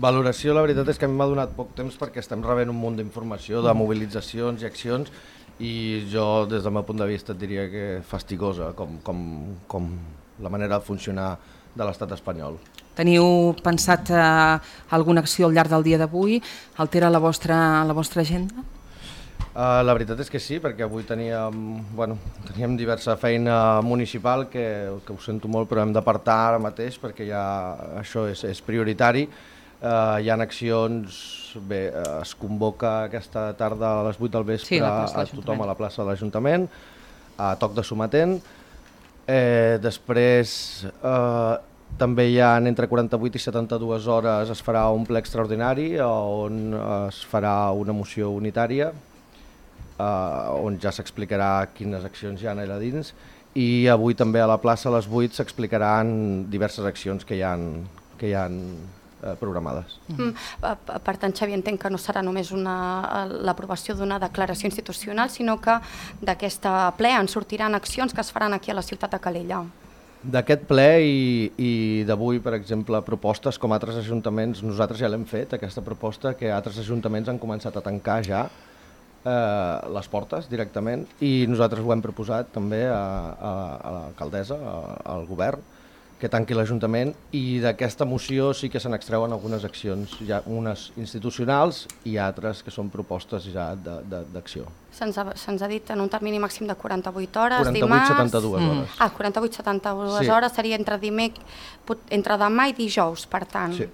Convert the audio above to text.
Valoració, la veritat és que a mi m'ha donat poc temps perquè estem rebent un munt d'informació, de mobilitzacions i accions, i jo, des del meu punt de vista, et diria que fastigosa, com la manera de funcionar de l'estat espanyol. Teniu pensat alguna acció al llarg del dia d'avui? Altera la vostra agenda? La veritat és que sí, perquè avui teníem diversa feina municipal que ho sento molt, però hem d'apartar ara mateix perquè ja això és prioritari. Hi ha accions, es convoca aquesta tarda a les 8 del vespre a tothom a la plaça de l'Ajuntament, a toc de sometent. Després també hi ha entre 48 i 72 hores es farà un ple extraordinari on es farà una moció unitària on ja s'explicarà quines accions hi ha allà dins, i avui també a la plaça a les 8 s'explicaran diverses accions que hi ha programades. Per tant, Xavi, entenc que no serà només l'aprovació d'una declaració institucional, sinó que d'aquesta ple en sortiran accions que es faran aquí a la ciutat de Calella. D'aquest ple i d'avui, per exemple, propostes com altres ajuntaments, nosaltres ja l'hem fet, aquesta proposta, que altres ajuntaments han començat a tancar ja les portes directament, i nosaltres ho hem proposat també a l'alcaldessa, al govern, que tanqui l'Ajuntament, i d'aquesta moció sí que se n'extreuen algunes accions, ja unes institucionals i altres que són propostes ja d'acció. Se'ns ha dit en un termini màxim de 48 hores, 48-72 hores. 48-72 hores seria entre demà i dijous, per tant. Sí.